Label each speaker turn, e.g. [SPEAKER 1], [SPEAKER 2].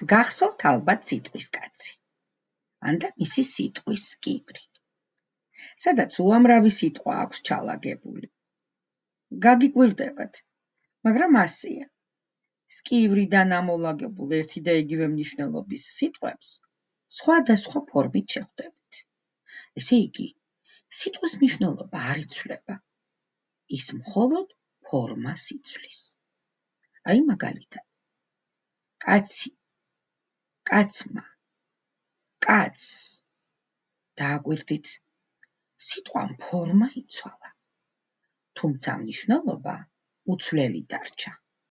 [SPEAKER 1] გახსოვთ ალბათ სიტყვის კაცი, ანდა მისი სიტყვის სკივრი, სადაც უამრავი სიტყვა აქვს ჩალაგებული. გაგიკვირდებათ, მაგრამ ასეა. სკივრიდან ამოლაგებულ ერთი და იგივე მნიშვნელობის სიტყვებს სხვადასხვა ფორმით შეხვდებით. ესე იგი, სიტყვის მნიშვნელობა არ იცვლება, ის მხოლოდ ფორმას იცვლის. აი მაგალითად, კაცი, კაცმა, კაცს. დააკვირდით, სიტყვამ ფორმა იცვალა, თუმცა მნიშვნელობა უცვლელი დარჩა.